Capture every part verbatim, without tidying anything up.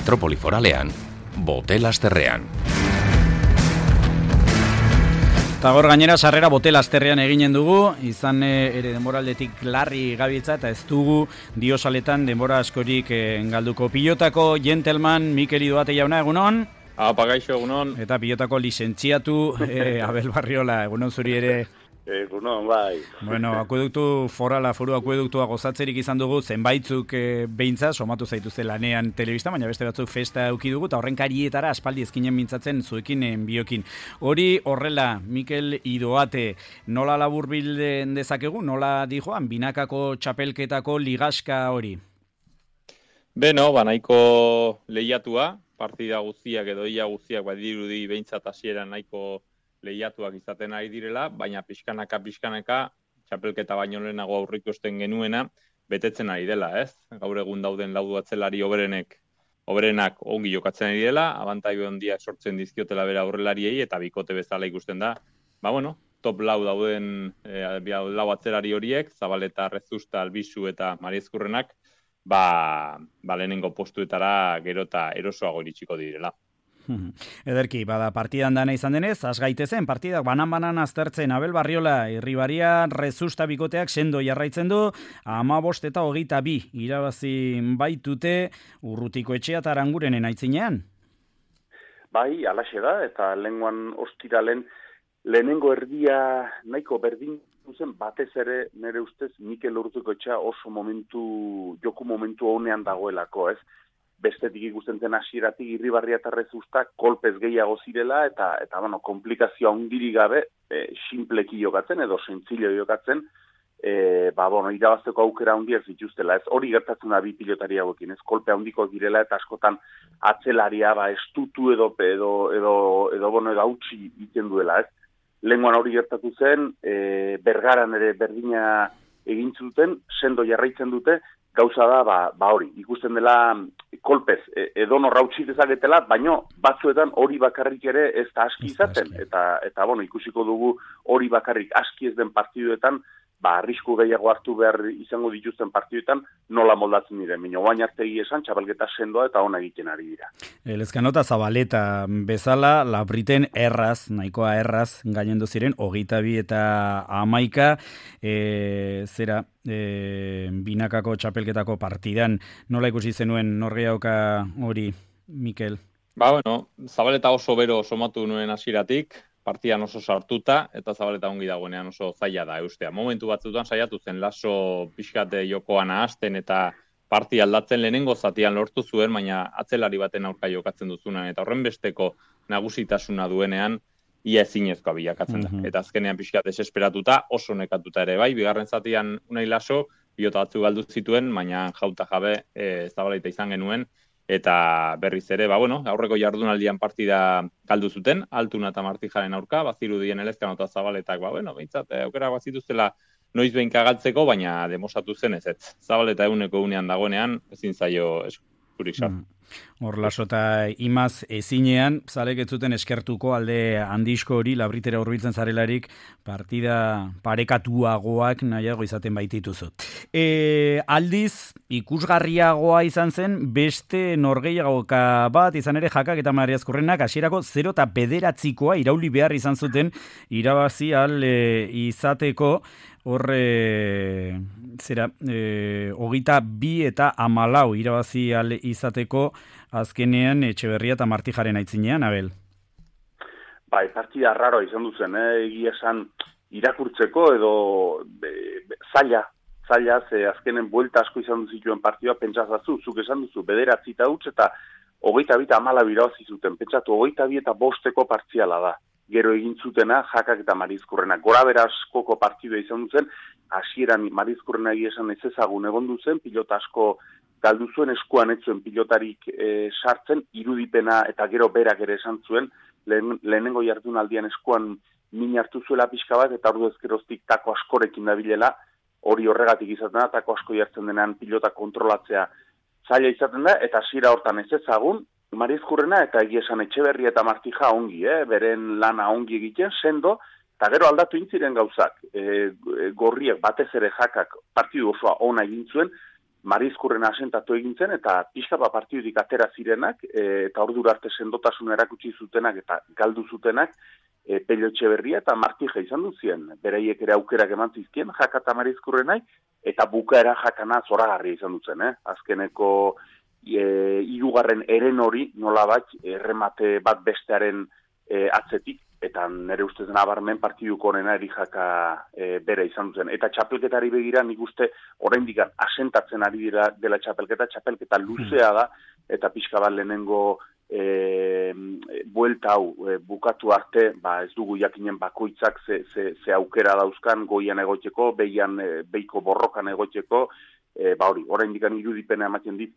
Metropoli Foralean, Botel-Asterrean. Eta gaur gainera sarrera Botel-Asterrean eginen dugu, izan ere denboraldetik larri gabiltza eta ez dugu diosaletan denbora askorik galduko. Pilotako gentleman Mikel Idoate jauna, egunon? Apa, gaixo, egunon. Eta pilotako lizentziatu eh, Abel Barriola, egunon zuri ere. Egunon, bai. Bueno, akueduktu forala, foru akueduktua gozatzerik izan dugu, zenbaitzuk e, beintza, somatu zaituzte lanean telebista, baina beste batzuk festa euki dugu, eta horren karietara aspaldi ezkinen mintzatzen zuekin biokin. Hori horrela, Mikel Idoate, nola laburbilden dezakegu, nola dijoan, binakako txapelketako ligaska hori? Beno, banaiko lehiatua, partida guztiak edo ia guztiak badirudi behintzat hasieran nahiko lehiatuak izaten ari direla, baina pixkanaka pixkanaka txapelketa baino lehenago aurrikusten genuena betetzen ari dela, ez? Gaur egun dauden laudu atzelari oberenek oberenak ongi jokatzen ari dela, abantaio handiak sortzen dizkiotela bera aurrelariei eta bikote bezala ikusten da. Ba bueno, top lau dauden eh, lau atzelari horiek, Zabaleta, Rezusta, Albizu eta Mariezkurrenak, ba, ba lehenengo postuetara gero eta erosoago iritsiko direla. Ederki, bada partidan dana izan denez, has gaitezen, partidak banan-banan aztertzen Abel Barriola, Irribaria, Rezusta bikoteak sendo jarraitzen du, hamabost eta hogeita bi irabazi baitute Urrutiko Etxea eta Arangurenen aitzinean. Bai, alaxe da, eta lehenguan ostiralen lehenengo erdia nahiko berdin zen, batez ere nire ustez Mikel Urrutiko Etxea oso momentu, joku momentu honean dagoelako, ez? Bestetik ikusten zen hasieratik Irribarria eta Rezusta kolpez gehiago zirela eta eta bueno, komplikazioa hundirik gabe e, sinpleki jokatzen edo sentzillo jokatzen, e, ba bueno, irabazteko aukera handiak zituztela. Ez hori gertatzen da bi pilotari hauekin, ez kolpe handiko direla eta askotan atzelaria ba estutu edo edo edo edo bueno, edo hautsi egiten duela, ez? Lehengoan hori gertatu zen, e, Bergaran ere berdina egin zuten, sendo jarraitzen dute. Gauza da, ba, ba hori, ikusten dela kolpez, edo norra utzi dezaketela, baino batzuetan hori bakarrik ere ez da aski izaten, eta, eta bueno, ikusiko dugu hori bakarrik aski ez den partiduetan, ba, arrisku gehiago hartu behar izango dituzten partiduetan, nola moldatzen diren. Mino, bain artegi esan, txapelketa sendoa eta ona egiten ari dira. Elezkanota Zabaleta bezala, Labriten erraz, nahikoa erraz, gainendu ziren, hogeita bi eta hamaika, e, zera, e, binakako txapelketako partidan. Nola ikusi zenuen norgeauka hori, Mikel? Ba, bueno, Zabaleta oso bero somatu nuen hasieratik, partidan oso sartuta, eta Zabaleta ongi dagoenean oso zaila da eustea. Momentu batzutan saiatu zen laso pixkate jokoan ahazten eta partia aldatzen lehenengo zatian lortu zuen, baina atzelari baten aurka jokatzen duzunan, eta horren besteko nagusitasuna duenean, ia ezinezkoa bilakatzen da. Mm-hmm. Eta azkenean pixkat desesperatuta, oso nekatuta ere bai, bigarren zatian unai laso, pilota batzu galdu zituen, baina jauta jabe e, Zabaleta izan genuen, eta berriz ere, ba, bueno, aurreko jardunaldian partida galdu zuten, Altuna eta Martijaren aurka, bazirudien Elezkanota Zabaletak, ba, bueno, behintzat, aukera bazituztela noiz behinka galtzeko, baina demosatu zen ez ez. Zabaleta eguneko unean dagoenean, ezin zaio eskurik sartu. Mm. Hor lasota imaz ezinean, zalek ez zuten eskertuko alde handizko hori, Labritera hurbiltzen zarelarik, partida parekatuagoak nahiago izaten baitituzu. E, aldiz, ikusgarriagoa izan zen, beste norgehiagoka bat, izan ere Jakak eta Mariazkurrenak, hasierako zero eta bederatzikoa irauli behar izan zuten, irabazi al e, izateko, horre, zera, e, hogeita bi eta hamalau irabazi al izateko, azkenean Etxeberria eta Martijaren aitzinean, Abel? Bai, partida raro izan duzen, eh? Egia esan irakurtzeko edo be, be, zaila, zaila, ze azkenen buelta asko izan duzituen partidua, pentsatzazu, zuk esan duzu, bederatzi eta utz eta hogeita bi eta hamalau irabazi zuten, pentsatu, hogeita bi eta bosteko partziala da. Gero egin zutena Jakak eta Mariezkurrenak. Gora bera askoko partidua izan duzen, hasieran Mariezkurrena egia esan ez ezagun egon duzen, pilota asko galdu zuen, eskuan ez zuen pilotarik e, sartzen, irudipena eta gero berak ere esan zuen, lehen, lehenengo jardunaldian eskuan min hartu zuela pixka bat, eta ordu ezkeroztik tako askorekin dabilela, hori horregatik izaten da, tako asko jartzen denean pilota kontrolatzea zaila izaten da, eta hasiera hortan ez ezagun, Mariezkurrena eta egia esan Etxeberria eta Martija ongi, eh? Beren lana ongi egiten, sendo, eta gero aldatu intziren gauzak. E, gorriak batez ere Jakak partidu osoa ona egin zuen, Marizkurren asentatu egin zen, eta pixka bat partidutik atera zirenak, e, eta ordura arte sendotasun erakutsi zutenak, eta galdu zutenak, e, Pello Etxeberria eta Martija izan duzien. Bereiek ere aukerak eman zizkien, jaka eta Marizkurrenai, eta bukaera jakana zoragarria izan duzen, eh? Azkeneko e, hirugarren eren hori, nola bat, erremate bat bestearen e, atzetik, eta nire ustez nabarmen partiduko honena erijaka e, bere izan duzen. Eta txapelketari begira nik uste oraindik asentatzen ari dira dela txapelketa, txapelketa luzea da, eta pixka bat lehenengo e, buelta hau e, bukatu arte, ba ez dugu jakinen bakoitzak ze, ze, ze aukera dauzkan goian egoteko, behian, e, beiko borrokan egoteko, e, ba hori, oraindik irudipena ematen dit,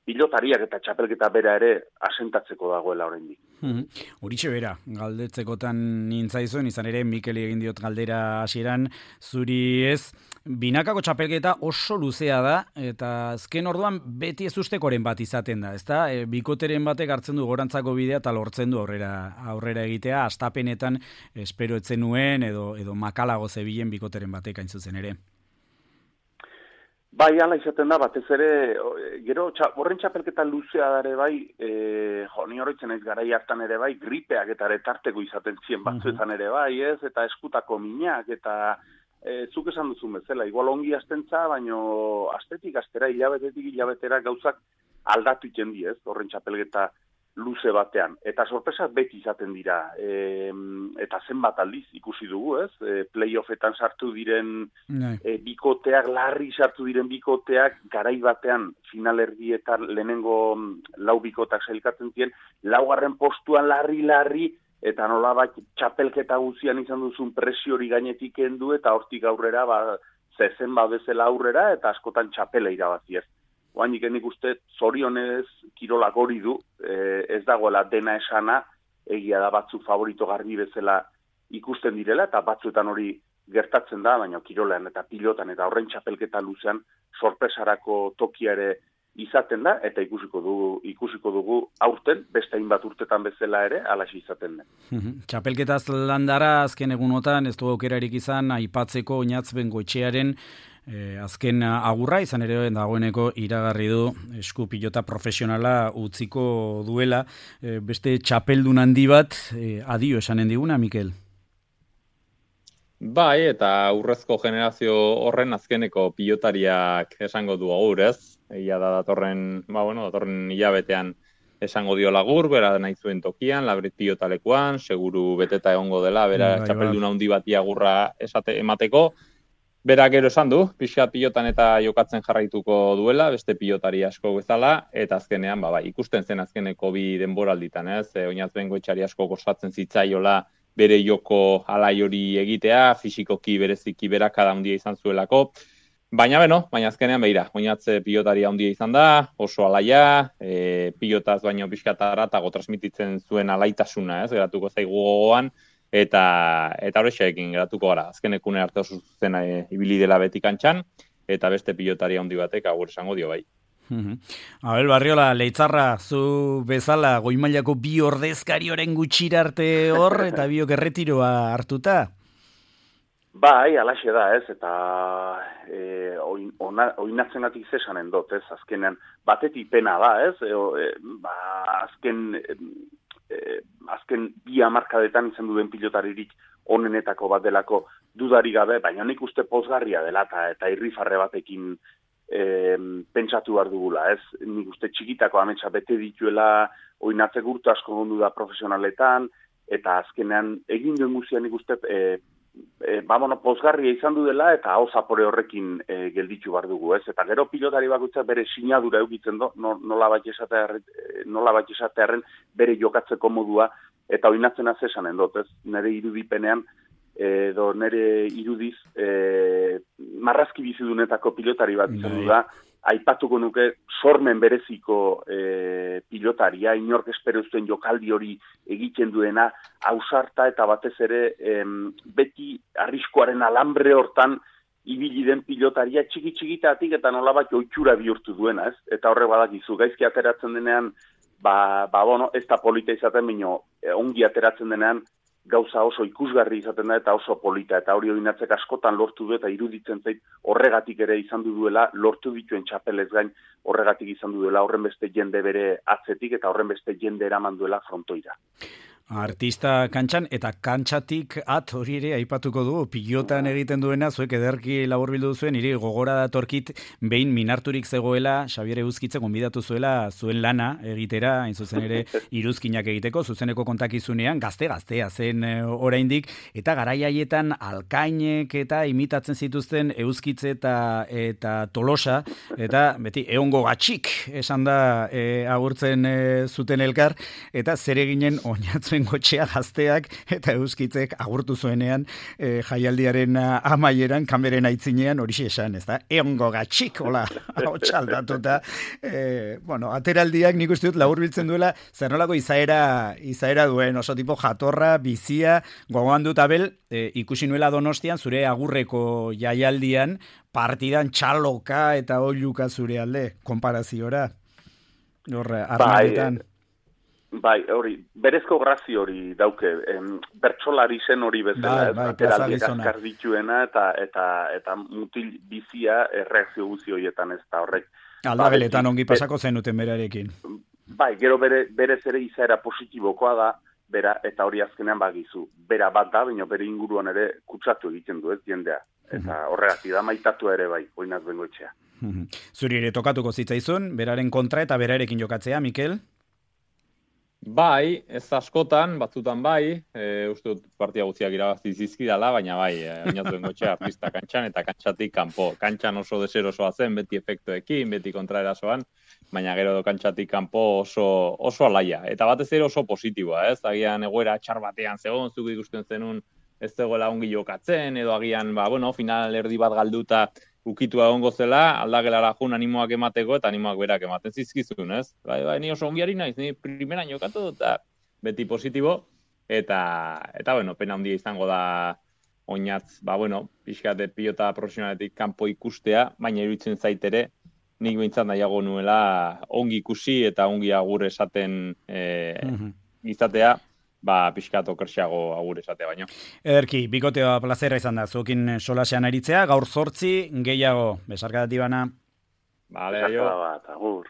pilotariak eta txapelketa bera ere asentatzeko dagoela oraindik. Hmm. Horitxe bera, galdetzekotan nintzaizuen, izan ere Mikeli egin diot galdera hasieran, zuri ez, binakako txapelketa oso luzea da, eta azken orduan beti ez ustekoren bat izaten da, ezta? E, bikoteren batek hartzen du gorantzako bidea eta lortzen du aurrera aurrera egitea, astapenetan espero etzen nuen, edo, edo makalago zebilen bikoteren batek hain zuzen ere. Bai, ala izaten da, batez ere, gero, horren txapelketa luzea dare bai, e, jo, ni horretzen ez garai hartan ere bai, gripeak eta ere tarteko izaten zien batzuetan ere bai, ez, eta eskutako minak, eta e, zuk esan duzun bezala, igual ongi astentza, baino astetik astera, hilabetetik hilabetera gauzak aldatu iten di, ez, horren txapelketa luze batean. Eta sorpresak beti izaten dira, e, eta zenbat aldiz ikusi dugu, ez? E, playoffetan sartu diren e, bikoteak, larri sartu diren bikoteak, garai batean finalerdietan lehenengo lau bikotak sailkatzen ziren, laugarren postuan larri-larri, eta nolabait txapelketa guzian izan duzun presiori gainetik kendu, eta hortik aurrera, ba, zezen bezala aurrera, eta askotan txapela irabazi ez. Oainik nik uste zorionez kirolak hori du, e, ez dagoela dena esana, egia da batzu favorito garbi bezala ikusten direla, eta batzuetan hori gertatzen da, baina kirolean eta pilotan eta horren txapelketa luzean sorpresarako tokia ere izaten da, eta ikusiko dugu, ikusiko dugu aurten, beste hainbat urtetan bezala ere, alaxi izaten da. Txapelketaz landara azken egunotan, ez du aukerarik izan, aipatzeko Oñatz Bengoetxearen Eh, azken agurra, izan ere dagoeneko iragarri du esku pilota profesionala utziko duela, eh, beste txapeldun handi bat, eh, adio esanen diguna, Mikel? Bai, eta urrezko generazio horren azkeneko pilotariak esango du agur, ez? Egia da datorren, ba, bueno, datorren hilabetean esango dio lagur, bera nahi zuen tokian, labrit pilotalekuan, seguru beteta egongo dela, bera bai, txapeldun handi bati agurra esate emateko. Berak gero esan du, pixka pilotan eta jokatzen jarraituko duela, beste pilotari asko bezala, eta azkenean, ba, ba, ikusten zen azkeneko bi denboralditan, ez? E, Oñatz Bengoetxeari asko kostatzen zitzaiola bere joko alai hori egitea, fisikoki bereziki berakada handia izan zuelako, baina beno, baina azkenean behira, Oñatz pilotari handia izan da, oso alaia, e, pilotaz baino pixka eta aratago transmititzen zuen alaitasuna, ez? Geratuko zaigu gogoan, eta eta horrexeekin geratuko gara. Azkenekune arte oso zuzena e, ibili dela beti kantxan, eta beste pilotari handi batek agur esango dio bai. Abel Barriola, Leitzarra, zu bezala goi mailako bi ordezkari oren gutxira arte hor, eta biok erretiroa hartuta? Bai, alaxe da, ez, eta e, oinatzenatik zesanen dut, ez, azkenean batetik pena da, ez, e, e, ba, azken... E, Eh, azken bi hamarkadetan izan duen pilotaririk onenetako bat delako dudari gabe, baina nik uste pozgarria dela eta, eta irrifarre batekin eh, pentsatu behar dugula, ez? Nik uste txikitako ametsa bete dituela oinatze gurtu asko gondu da profesionaletan, eta azkenean egin duen guztia nik uste eh, E, ba, bueno, pozgarria izan du dela eta hau zapore horrekin e, gelditu behar dugu, ez? Eta gero pilotari bakoitza bere sinadura eukitzen do, nola bat esatearen bere jokatzeko modua, eta oinatzen azesanen dut, ez? Nere irudipenean, edo nere irudiz, e, marrazki bizidunetako pilotari bat izan du da, aipatuko nuke sormen bereziko e, pilotaria, inork espero zuen jokaldi hori egiten duena, ausarta eta batez ere em, beti arriskoaren alambre hortan ibili den pilotaria txiki-txikitatik eta nolabait ohitura bihurtu duena, ez? Eta horre badakizu, gaizki ateratzen denean, ba, ba bueno, ez da polita izaten, baino ongi ateratzen denean, gauza oso ikusgarri izaten da eta oso polita, eta hori oinatzek askotan lortu du eta iruditzen zait horregatik ere izan du duela, lortu dituen txapelez gain horregatik izan du duela, horren beste jende bere atzetik eta horren beste jende eraman duela frontoira. Artista kantxan eta kantxatik at hori ere aipatuko du, pilotan egiten duena, zuek ederki laburbildu zuen, niri gogora datorkit behin minarturik zegoela, Xabier Euskitze gonbidatu zuela zuen lana egitera, hain zuzen ere iruzkinak egiteko, zuzeneko kontakizunean, gazte-gaztea zen oraindik, eta garai haietan alkainek eta imitatzen zituzten Euskitze eta, eta Tolosa, eta beti eongo gatxik esan da e, agurtzen e, zuten elkar, eta zer eginen oinatzen gotxea gazteak eta Euskitzek agurtu zuenean e, jaialdiaren amaieran, kameren aitzinean hori esan, ez da? Eongo gatxik, hola, hau txaldatuta. E, bueno, ateraldiak nik uste dut laburbiltzen duela, zer nolako izaera, izaera duen, oso tipo jatorra, bizia, gogoan dut abel, e, ikusi nuela Donostian, zure agurreko jaialdian, partidan txaloka eta oiluka zure alde, konparaziora. Horre, armadetan. Bai, Bai, hori, berezko grazi hori dauke, em, bertsolari zen hori bezala, bai, ez, ateraldiak azkar dituena, eta, eta, eta mutil bizia erreakzio guzi horietan ez da horrek. Aldageletan ongi pasako zenuten berarekin. Bai, gero bere, berez ere izaera positibokoa da, bera, eta hori azkenean bagizu. Bera bat da, baina bere inguruan ere kutsatu egiten du, ez jendea. Eta horregatik da maitatu ere bai, oinaz bengoetxea. Zuri ere tokatuko zitzaizun, beraren kontra eta berarekin jokatzea, Mikel? Bai, ez askotan, batzutan bai, e, uste dut partia guztiak irabazi zizkidala, baina bai, e, oinatu bengoetxea artista kantxan eta kantxatik kanpo. Kantxan oso deserosoa zen, beti efektuekin, beti kontraerasoan, baina gero kantxatik kanpo oso, oso alaia. Eta batez ere oso positiboa, ez? Agian egoera txar batean zegoen, zuk ikusten zenun ez zegoela ongi jokatzen, edo agian, ba, bueno, final erdi bat galduta ukitua egongo zela, aldagelara jun animoak emateko eta animoak berak ematen zizkizun, ez? Bai, bai, ni oso ongiari naiz, ni primeran jokatu eta beti positibo, eta, eta bueno, pena handia izango da oinatz, ba, bueno, pixkate pilota profesionaletik kanpo ikustea, baina iruditzen zaitere, nik behintzat nahiago nuela ongi ikusi eta ongi agur esaten e, mm-hmm. izatea, ba, pixkato kersiago agur esatea baino. Ederki, bikotea plazera izan da, zuekin solasean aritzea, gaur zortzi, gehiago, besarkadatik bana. Vale, jo. Bat, agur.